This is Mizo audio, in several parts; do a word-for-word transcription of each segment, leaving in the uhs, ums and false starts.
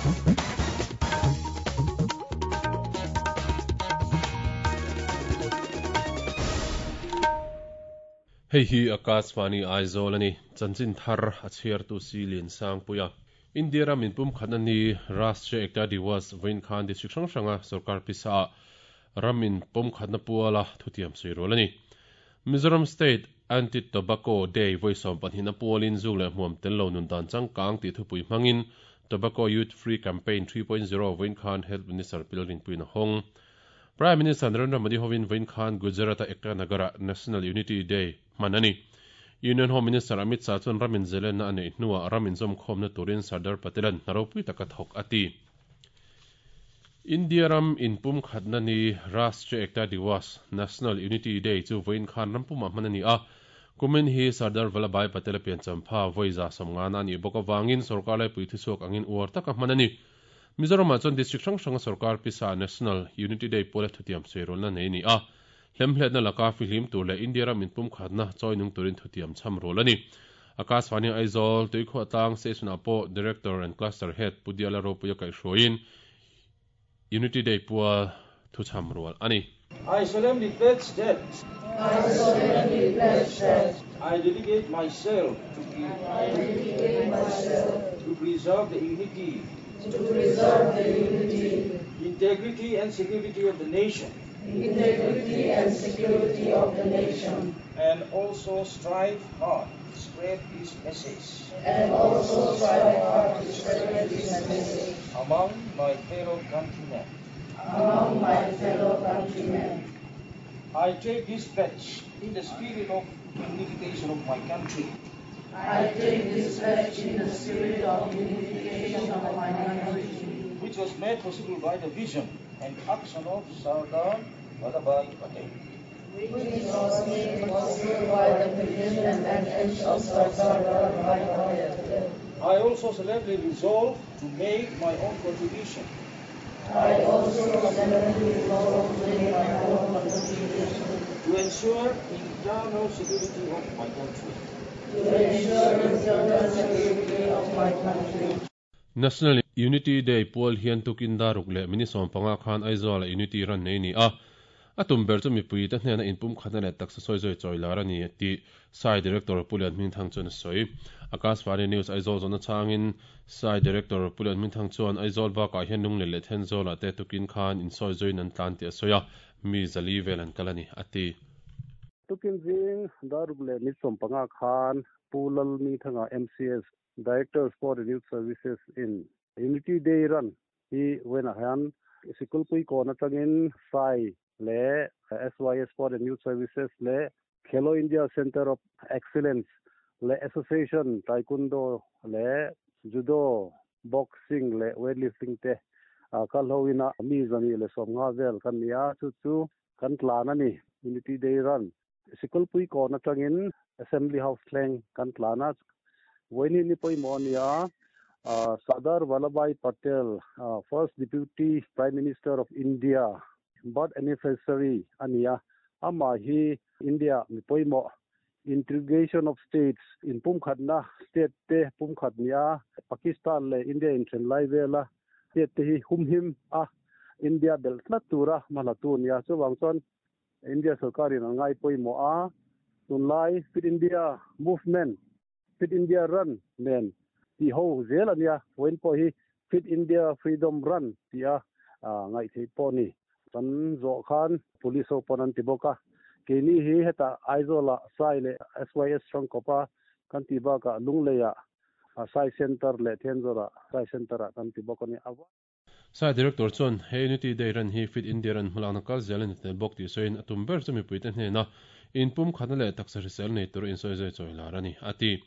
Hei hi Akashvani Aizawl ani chanchin thar a chhiar tu si lian sang puia India ram in pum khat ani Rashtriya Ekta Diwas vawiin khan district hrang hranga sarkar pisa ah ram in pum khatna puala thutiam sawi rual ani Mizoram State Anti Tobacco Day vawi sawm pahnih na pualin zuk leh hmuam tel lo nun dan changkang tih thupui hmangin Tobacco Youth Free Campaign three point zero vawiin khan Health Minister Pilrin Puina hawng Prime Minister Narendra Modi hovin vawiin khan Gujarat-a Ekta Nagara National Unity Day hman ani. Union Home Minister Amit Shah chuan ramin zelenna a neih hnuah ramin zawmkhawmna turin Sardar Patelan hna ropui taka thawk a ti. India ram inpum khatna ni Rashtriya Ekta Diwas, National Unity Day, chu vawiin khan rampumah hman a ni a. Kumin hi Sardar Vallabhbhai Patel a pianchampha vawi za sawmngana a nih bawk avangin sorkar laipui thuchhuak angin uar taka hman a ni. Mizoramah chuan district hrang hranga sorkar pisa National Unity Day pawla thutiam sawi rualna nei a ni a. Hlemhletna laka fihlim tur leh India ram inpum khatna chawi nung turin thutiam chham rual a ni. Akashvani Aizawl, Tuikhuah tlang station-ah pawh Director and Cluster Head Pu Diala Ropuia kaihhruaiin Unity Day pual thu chham rual a ni. I solemnly pledge that I solemnly pledge that I dedicate myself to I dedicate myself to preserve the unity to preserve the unity, integrity and security of the nation, integrity and security of the nation, and also strive hard to spread this message and also strive hard to spread this message among my fellow countrymen. among my fellow countrymen. I take this pledge in the spirit of unification of my country. I take this pledge in the spirit of unification of my country, which was made possible by the vision and action of Sardar Vallabhbhai Patel. which was made possible by the vision and action of Sardar Vallabhbhai Patel. I also solemnly resolve to make my own contribution I also solemnly resolve to make my own contribution to ensure internal security of my country. to ensure internal security of my country. National Unity Day pual hian tukin daruk leh mini sawm panga khan Aizawl a Unity ran nei ni a. A tum ber chu mipui te hnena inpum khatna leh taksa sawi zawi chawi lar a ni tih Sai Director Pulian Hmingthang chuan a sawi. Akashvani News Aizawl zawhna changin Sai Director Pulian Hmingthang chuan Aizawl bakah hian Lunglei leh Thenzawlah te tukin khan insawi zawiin an tlan tih a sawi a, mi zali vel an kal a ni, a ti. Tukin zing daruk leh ni sawm panga khan Pu Lal Hmingthanga M C S Director Sport and Youth Services in Unity Day run hi vawiinah hian Sikulpui kawn atangin Sai leh S Y S Sport and Youth Services leh Khelo India Center of Excellence leh Association Taekwondo leh Judo, Boxing leh Weightlifting te kal hoina mi zani leh sawm nga vel kan ni a, chu chu kan tlan a ni Unity Day run. Sikulpui kawn atangin Assembly House thleng kan tlan a. Vawiin ni pawimawh a ni a, Sardar Vallabhbhai Patel, First Deputy Prime Minister of India, birth anniversary a ni a. Amah hi India mi pawimawh integration of states in pumkhatna state te pumkhat ni a, Pakistan leh India inthen lai vela state te hi humhim a, India belh tlat tura hmala tu ni a. Chuvang chuan India sarkarin an ngai pawimawh a, tunlai Fit India Movement, Fit India Run nen tih ho zel a nia. Vawiin pawh hi Fit India Freedom Run tih a ngaih theih pawh ni. Kan zawh khan police ho pawn an ti bawk a. Keini hi hetah Aizawlah Sai leh S Y S hrangkawpa kan tih bakah Lungleiah Sai Center leh Thenzawrah Sai Center-ah kan ti bawk a ni. Sai Director chuan he Unity Day run hi Fit India run hmalakna kal zel a ni tel bawk tih sawiin a tum ber chu mipuite hnena inpum khatna leh taksa hrisel nei tur insawi zawi chawi lar a ni, a ti.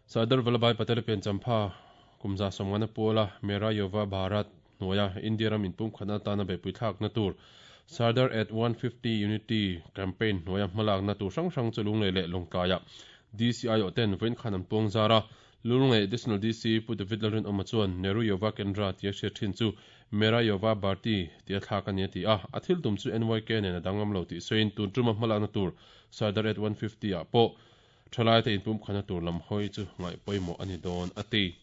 Sardar Vallabhbhai Patel pianchampha kumza sawmngana puala Mera Yuva Bharat hnuaia India ram inpum khatna atana beihpui thlakna tur Sardar at one fifty Unity Campaign hnuaia hmalakna tur hrang hrang chu Lunglei leh Lawngtlaiah D C I O ten vawiin khan an puang zar a. Lunglei Additional D C Pu David Lalrinawma chuan Nehru Yuva Kendra tia hriat thin chu Mera Yuva Bharti tia thlak a ni a ti a. A thil tum chu N Y K nen a danglam lo tih sawiin tun tuma hmalakna tur Sardar at one fifty ah pawh thalai te inpum khana tur lam hawi chu ngaih pawimawh a ni dawn a ti.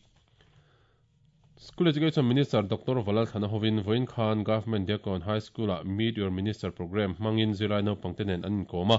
School Education Minister Doctor Vanlalthlana hovin vawiin khan Government Diakkawn High School ah Meet Your Minister Programme hmangin zirlai naupangte nen an inkawm a.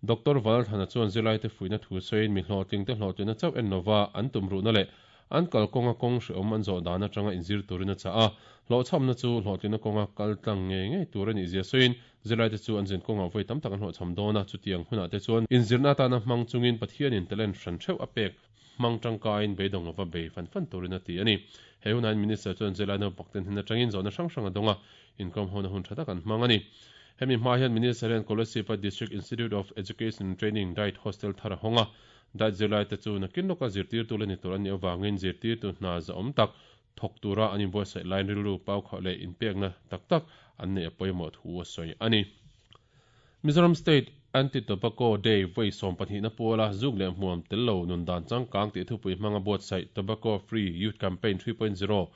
Doctor Vanlalthlana chuan zirlaite fuihna thu sawiin mi hlawhtlingte hlawhtlinna chauh en lova an tumruhna leh an kalkawnga kawng hrehawm an zawh dan atanga inzir turin a chah a. Hlawhchhamna chu hlawhtlinna kawnga kal tlang ngei ngei tur a nih zia sawiin zirlaite chu an zin kawngah vawi tam tak an hlawhchham dawn a, chutiang hunah te chuan inzirna atana hmang chungin Pathianin talent hran theuh a pek hmang tangkaiin beidawng lova bei fan fan turin a ti a ni. He hunain Minister chuan zirlai naupangten hnen atangin zawhna hrang hrang a dawng a, inkawm hona hun tha tak an hmang a ni. Hemi hma hian Minister hian Kolasib-a District Institute of Education and Training DIET Hostel thar a hawng a, DIET zirlaite chu nakin lawka zirtirtu la ni tur an nih avangin zirtirtu hna zahawm tak thawk tura an inbuatsaih laiin rilru paukhauh leh inpekna tak tak an neih a pawimawh thu a sawi a ni. Mizoram State Anti-Tobacco Day vawi sawm pahnihna puala zuk leh hmuam tel lo nun dan changkang tih thupui hmanga buatsaih Tobacco Free Youth Campaign three point zero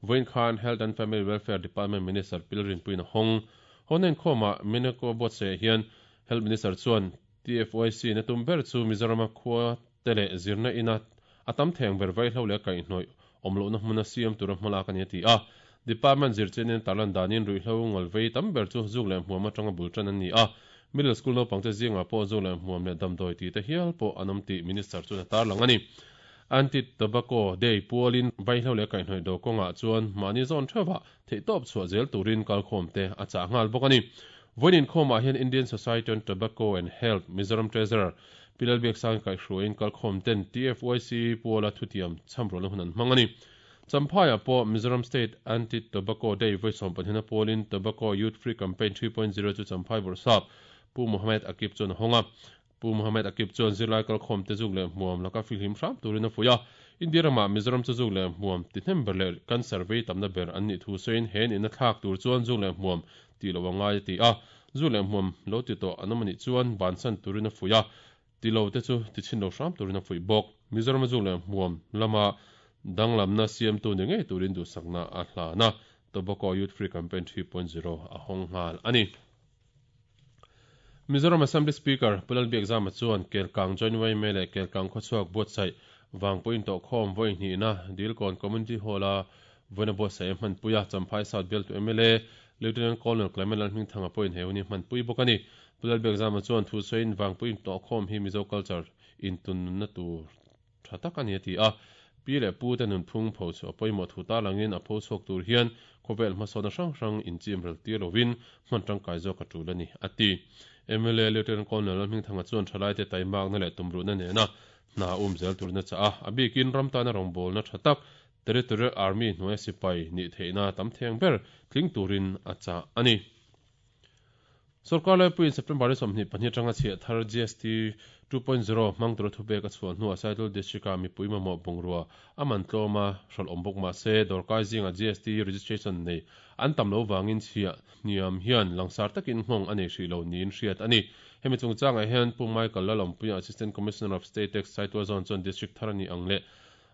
vawiin khan Health and Family Welfare Department Minister Pilrinpuiin a hawng. Hawn inkhawmah Meneko buatsaih hian Health Minister chuan T F Y C na tum ber chu Mizorama khua te leh zirna ina a tam theng ber vaihlo leh kaihhnawih awmlohna hmuna siam tura hmalak a ni a ti a. Department zirchianin tarlan danin ruihhlo ngalvei tam ber chu zuk leh hmuam atanga bul tan an ni a. Middle school naupangte zingah pawh zuk leh hmuam leh damdawi tih te hial pawh an awm tih Minister chuan a tarlang a ni. Anti-Tobacco Day pualin vaihlo leh kaihhnawih do kawngah chuan mahni zawn theuhah theihtawp chhuah zel turin kalkhawm te a chah nghal bawk a ni. Vawiin inkhawmah hian Indian Society on Tobacco and Health Mizoram Treasurer Pi Lalbiaksang kaihhruaiin kalkhawm ten T F Y C puala thutiam chhamrawlna hun an hmang a ni. Champhaiah pawh Mizoram State Anti-Tobacco Day vawi sawm pahnihna pualin Tobacco Youth Free Campaign three point zero chu Champhai Bawrhsap Pu Mohammed Akib chuan a hawng a. Pu Mohammed Akib chuan zirlai kalkhawm te zuk leh hmuam laka fihlim hram turin a fuih a. India ramah Mizoram chu zuk leh hmuam ti hnem ber leh cancer vei tamna ber an nih thu sawiin he nihna thlak tur chuan zuk leh hmuam ti lo a ngai a ti a. Zuk leh hmuam lo ti tawh an awm anih chuan bansan turin a fuih a. Ti lo te chu ti chhin lo hram turin a fuih bawk. Mizoram zuk leh hmuam lama danglamna siamtu ni ngei turin duhsakna a hlana Tobacco Youth Free Campaign three point zero a hawng nghal a ni. Mizoram Assembly Speaker Pu Lalbiakzama chuan Kelkang Joint Y M A leh Kelkang khawchhuak buatsaih Vangpui intawhkhawm vawi hnihna Dilkawn Community Hall-a vawiina buatsaih a hmanpui a, Champhai South bialtu M L A Lieutenant Colonel Clement Lalhmingthanga pawhin he hun hi hmanpui bawk a ni. Pu Lalbiakzama chuan thu sawiin Vangpui intawhkhawm hi Mizo culture intunnunna tur tha tak a ni a ti a. Pi leh pu te nunphung pho chu a pawimawh thu tarlangin a pho chhuak tur hian khawvel hmasawn hrang hrang inchim rel tir lovin hman tangkai zawk a tul a ni a ti. M L A Lieutenant Colonel Lalhmingthanga chuan thalai te taimakna leh tumruhna nena hna um zel turna cha a, a bikin ram tana rawngbawlna tha tak Territorial Army hnuai sipai ni theihna tam theng ber tling turin a chah a ni. Sarkar laipuiin September ni sawmhnih pahnih atanga chhiah thar G S T two point zero hmang tura thupek a chhuah hnuah Saitual District-a mipui mamawh bungrua a man tlawma hrawlh awm bawk mah se dawrkai zinga G S T registration nei an tam lo wangin chhiah hniam hian langsar takin nghawng a nei hrih lo niin hriat a ni. Hemi chungchangah hian Pu Michael Lalawmpuia Assistant Commissioner of State Tax Saitual Zone chuan District thar a ni ang leh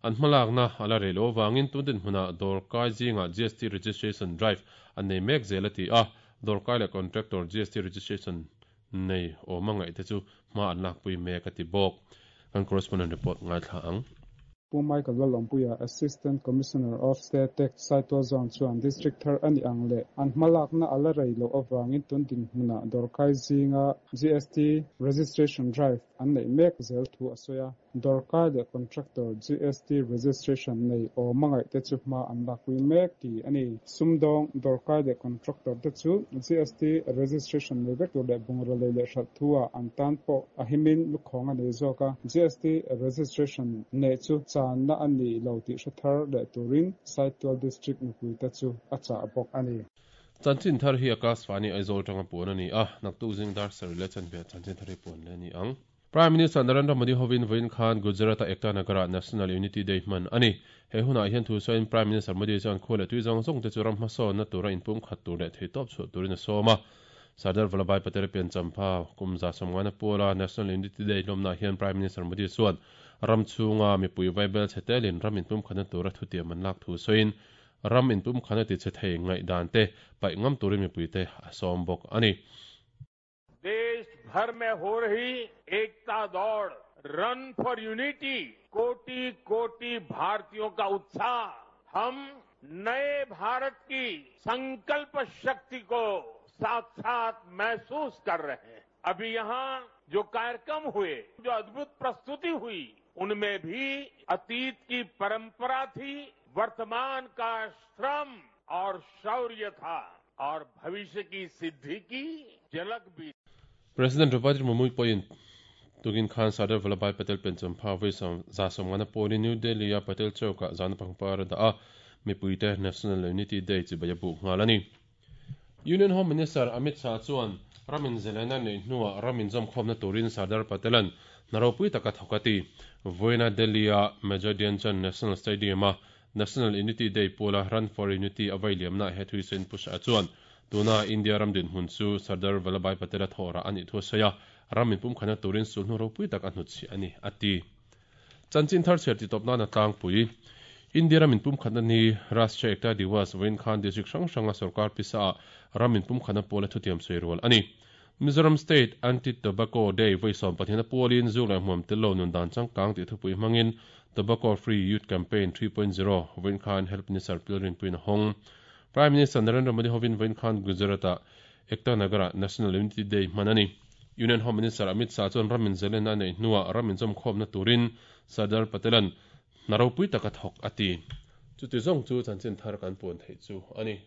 an hmalakna ala rei lo wangin tundin hmunah dawrkai zinga G S T registration drive an nei mek zel a ti a. Dawrkai leh contractor G S T registration nei awm a ngaih te chu hma an lakpui mek a ti bawk. Kan correspondent report ngai thla ang. Pu Michael Lalawmpuia Assistant Commissioner of State Tax Saitual Zone chuan District thar a ni ang leh an hmalakna ala rei lo awangin tundin hmunah dawrkai zinga G S T registration drive an nei mek zel thu a sawi a. Dawrkai leh contractor G S T registration nei awm a ngaih te chu hma an lakpui mek ti a ni. Sumdawng dawrkai leh contractor te chu G S T registration nei vek tur leh bungraw lei leh hralh thu-ah an tan pawh a himin lukhawng a nei zawk a. G S T registration nei chu channa a ni lo tih hre thar leh turin Saitual District mipui te chu a chah bawk a ni. Chanchin thar hi Akashvani Aizawl tanga puan a ni a, naktuk zing dar sarih leh chanve chanchin thar hi puan le ni ang. Prime Minister Narendra Modi hovin vawiin khan Gujarat-a Ekta Nagara National Unity Day hman a ni. He hunah hian thu sawiin Prime Minister Modi chuan khual leh tui zawng zawng te chu ram hmasawnna tura inpum khat tur leh theitawp chhuah turin a sawm a. Sardar Vallabhbhai Patel pian champha kum za sawmngana puala National Unity Day hlawmna hian Prime Minister Modi chuan ram chhunga mipui vaibel chhetelin ram inpum khatna tura thutiam an lak thu sawiin ram inpum khatna ti che thei ngaih dan te paih ngam turin mipui te a sawm bawk a ni. देश भर में हो रही एकता दौड़ run for unity कोटि कोटि भारतीयों का उत्साह हम नए भारत की संकल्प शक्ति को साक्षात महसूस कर रहे हैं। अभी यहां जो कार्यक्रम हुए, जो अद्भुत प्रस्तुति हुई, उनमें भी अतीत की परंपरा थी, वर्तमान का श्रम और शौर्य था और भविष्य की सिद्धि की झलक भी। President Draupadi Murmu pawhin tukin khan Sardar Vallabhbhai Patel piancham pha vawi za sawmngana pawlin New Delhi a Patel Chowk-ah zana pangpar a dah a, mipuite National Unity Day chibai a buh nghal a ni. Union Home Minister Amit Shah chuan ramin zelaina nei hnuah ramin zawmkhawmna turin Sardar Patelan hna ropui taka thawk a ti. Vawiina Delhi-a Major Dhyan Chand National Stadium-a National Unity Day pawla Run for Unity a vai liamna he thui sen Pu Shah chuan tuna India ram dinhmun chu Sardar Vallabhbhai Patel a thawhrah a nih thu a sawi a, ramin pumkhana turin sulhnu ropui tak a hnutchhiah a ni a ti. Chanchin thar chhiar titawp nan a tlangpui. India ramin pumkhatna ni Rashtriya Ekta Diwas vawiin khan district hrang hranga sarkar pisa ah ramin pumkhana pawla thutiam sawi rual a ni. Mizoram State Anti-Tobacco Day vawi sawm pathina pawlin zu leh hmuam tello nun dan changkang tih thupui hmangin Tobacco Free Youth Campaign three point zero vawiin khan Health Minister Pilrin Puin a hawng. Prime Minister Narendra Modi hovin vawiin khan Gujarat-ah Ekta Nagar-ah National Unity Day hman a ni. Union Home Minister Amit Shah chuan ramin zalena nei hnuah ramin zawmkhawmna turin Sardar Patelan hna ropui taka thawk a ti. Chuti zawng chu chanchin thar kan puan theih chu a ni.